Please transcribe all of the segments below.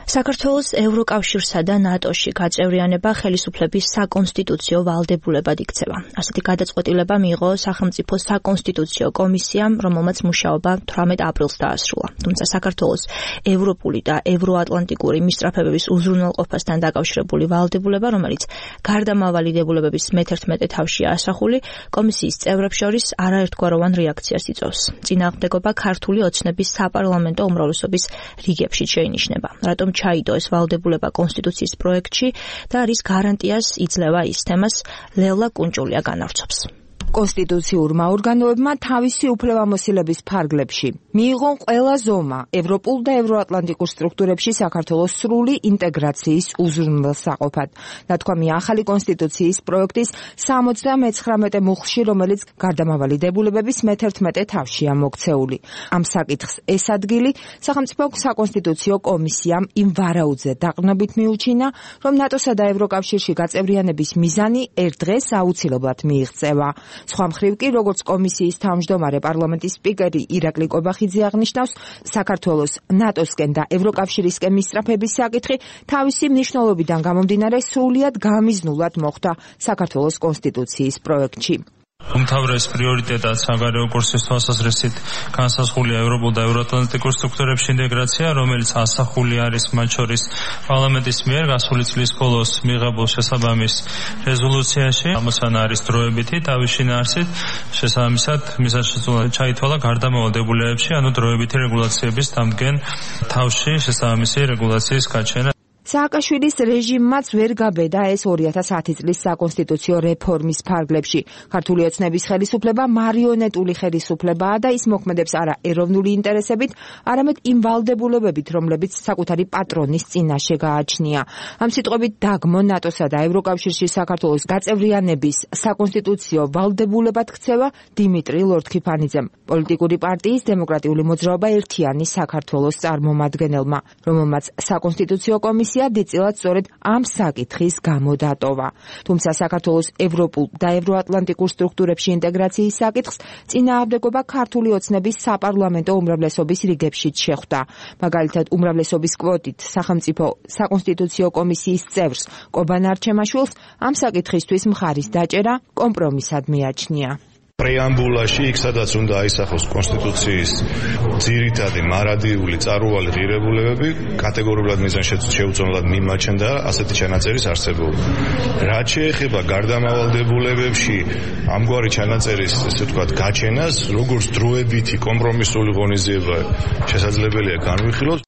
საქართველოს ევროკავშირსა და ნატოში გაწევრიანება ხელისუფლების საკონსტიტუციო ვალდებულებად იქცევა. ასეთი გადაწყვეტილება მიიღო სახელმწიფო საკონსტიტუციო კომისიამ, რომელმაც მუშაობა 18 აპრილს დაასრულა. თუმცა საქართველოს ევროპული და ევროატლანტიკური მისწრაფებების უზრუნველყოფასთან დაკავშირებული ვალდებულება, რომელიც გარდამავალი დებულებების მე-11 თავშია ასახული, კომისიის წევრებს შორის არაერთგვაროვან რეაქციას იწვევს. წინააღმდეგობა ქართული ოცნების საპარლამენტო უმრავლესობის რიგებში შეინიშნება. რატომ ჩაიდო ეს ვალდებულება კონსტიტუციის პროექტში და რის გარანტიას იძლევა ის თემას ლევლა კუნჭულია განავრცობს. კონსტიტუციურმა ორგანოებმა თავისი უფლებამოსილების ფარგლებში მიიღო ყველა ზომა ევროპულ და ევროატლანტიკურ სტრუქტურებში საქართველოს სრული ინტეგრაციის უზრუნველსაყოფად. ნათქვამია ახალი კონსტიტუციის პროექტის 79 მუხლში, რომელიც გარდამავალი დებულებების მე-11 თავშია მოქცეული. ამ საკითხს ეს ადგილი სახელმწიფო საკონსტიტუციო კომისიამ იმ ვარაუდზე დაყრდნობით მიუჩინა, რომ ნატოსა და ევროკავშირში გაწევრიანების მიზანი ერთ დღეს აუცილებლად მიიღწევა. სხვა მხრივ კი, როგორც კომისიის თავმჯდომარე პარლამენტის სპიკერი ირაკლი კობახიძე აღნიშნავს, საქართველოს ნატოსკენ და ევროკავშირისკენ მისწრაფების საკითხი თავისი მნიშვნელობიდან გამომდინარე სრულიად გამიზნულად მოხვდა საქართველოს კონსტიტუციის პროექტში. უმთავრეს პრიორიტეტად საგარეო კურსის თვალსაზრისით განსაზღვრულია ევროპულ და ევროატლანტიკურ სტრუქტურებში ინტეგრაცია, რომელიც ასახული არის მათ შორის პარლამენტის მიერ გასული წლის ბოლოს მიღებულ შესაბამის რეზოლუციაში. ამოცანა არის დროებითი თავის შინაარსით, შესაბამისად მიზანშეწონილად ჩაითვალა გარდამავალ დებულებებში, ანუ დროებითი რეგულაციების დამდგენ თავში შესაბამისი რეგულაციის გაჩენა. სააკაშვილის რეჟიმმაც ვერ გაბედა ეს 2010 წლის საკონსტიტუციო რეფორმის ფარგლებში. ქართული ოცნების ხელისუფლება მარიონეტული ხელისუფლებაა და ის მოქმედებს არა ეროვნული ინტერესებით, არამედ იმ ვალდებულებებით, რომლებიც საკუთარი პატრონის წინაშე გააჩნია. ამ სიტყვებით დაგმო ნატოსა და ევროკავშირში საქართველოს გაწევრიანების საკონსტიტუციო ვალდებულებად ქცევა დიმიტრი ლორთქიფანიძემ, პოლიტიკური პარტიის დემოკრატიული მოძრაობა ერთიანი საქართველოს წარმომადგენელმა, რომელმაც საკონსტიტუციო კომისია დიწილად სწორედ ამ საკითხის გამო დატოვა. თუმცა საქართველოს ევროპულ და ევროატლანტიკურ სტრუქტურებში ინტეგრაციის საკითხს წინააღმდეგობა ქართული ოცნების საპარლამენტო უმრავლესობის რიგებშიც შეხვდა. მაგალითად, უმრავლესობის კვოტით სახელმწიფო საკონსტიტუციო კომისიის წევრს კობან არჩემაშვილს ამ საკითხისთვის მხარის დაჭერა კომპრომისად მიაჩნია. პრეამბულაში, იქ სადაც უნდა აისახოს კონსტიტუციის ძირითადი მარადიული წარუვალი ღირებულებები, კატეგორიულად მიზანშეწონილად მიმაჩნდა ასეთი ჩანაწერის არსებობა. რაც შეეხება გარდამავალ დებულებებში ამგვარი ჩანაწერის, ესე ვთქვათ, გაჩენას, როგორც დროებითი კომპრომისული ღონისძიება შესაძლებელია განვიხილოთ.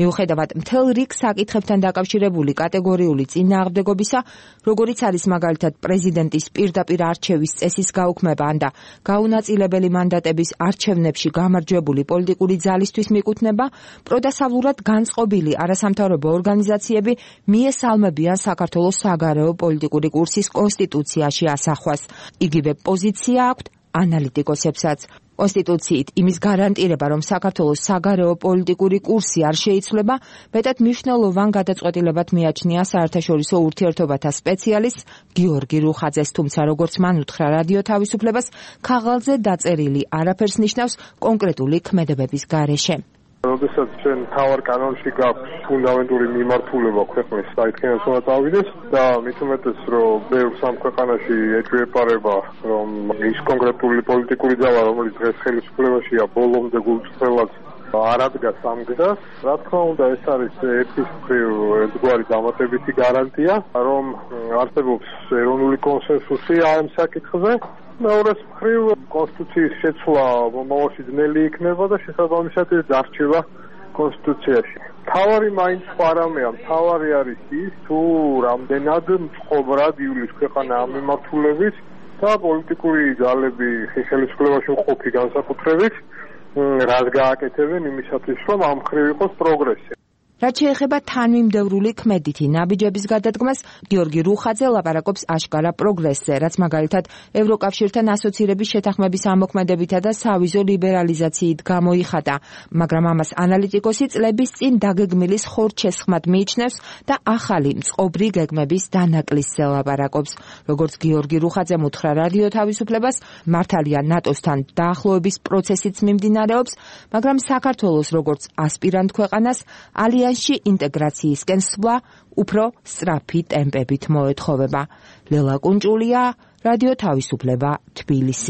მიუხედავად მთელ რიგ საკითხებთან დაკავშირებული კატეგორიული წინააღმდეგობისა, როგორიც არის მაგალითად პრეზიდენტის პირდაპირ არჩევის წესის გაუქმება და გაუნაწილებელი მანდატების არჩევნებში გამარჯვებული პოლიტიკური ძალისთვის მიკუთვნება, პროდასავლურად განწყობილი არასამთავრობო ორგანიზაციები მიესალმებიან საქართველოს საგარეო პოლიტიკური კურსის კონსტიტუციაში ასახვას. იგივე პოზიცია აქვთ ანალიტიკოსებსაც. კონსტიტუციით იმის გარანტირება, რომ საქართველოს საგარეო პოლიტიკური კურსი არ შეიცვლება, მეტად მნიშვნელოვან გადაწყვეტილებად მიაჩნია საერთაშორისო ურთიერთობათა სპეციალისტ გიორგი რუხაძეს, თუმცა როგორც მან უთხრა რადიო თავისუფლებას, ქაღალდზე დაწერილი არაფერს ნიშნავს კონკრეტული ქმედებების გარეშე. როდესაც ჩვენ თავარ კანონში გაქვს ფუნდამენტური მიმართულება ქვეყნის საერთიანოს უნდა წავიდეს და მით უმეტეს რომ ბევრ სამ ქვეყანაში ეჭვეპარება რომ ის კონკრეტული პოლიტიკური ძალა რომელიც დღეს ხელისუფლებაშია ბოლომდე გულწრფელად არ ადგას ამ გზას. რა თქმა უნდა ეს არის ერთის მხრივ ერთგვარი დამატებითი გარანტია რომ არსებობს ეროვნული კონსენსუსი ამ საკითხზე. მეორეს მხრივ კონსტიტუციის შეცვლა მომავალში ძნელი იქნება და შესაბამისად ეს დარჩება კონსტიტუციაში. მთავარი მაინც პარამეა, მთავარი არის ის თუ რამდენად მწყობრად ივლის ქვეყანა ამ მიმართულებით და პოლიტიკური ძალები ხელისუფლებაში მყოფი განსაკუთრებით რას გააკეთებენ იმისათვის რომ ამ მხრივ იყოს პროგრესი. რაც შეეხება თანმიმდევრული ქმედითი ნაბიჯების გადადგმას, გიორგი რუხაძე ლაპარაკობს აშკარა პროგრესზე, რაც მაგალითად ევროკავშირთან ასოცირების შეთანხმების ამოქმედებითა და სავიზო ლიბერალიზაციით გამოიხატა, მაგრამ ამას ანალიტიკოსი წლების წინ დაგეგმილის ხორჩესხმად მიიჩნევს და ახალი მწყობრი გეგმების დანაკლისზე ლაპარაკობს. როგორც გიორგი რუხაძემ უთხრა რადიო თავისუფლებას, მართალია ნატოსთან დაახლოების პროცესიც მიმდინარეობს, მაგრამ საქართველოს როგორც ასპირანტ ქვეყანას ალიაში ჩანსში ინტეგრაციისკენ სვლა უფრო სწრაფი ტემპებით მოეთხოვება. ლელა კუნჭულია, რადიო თავისუფლება, თბილისი.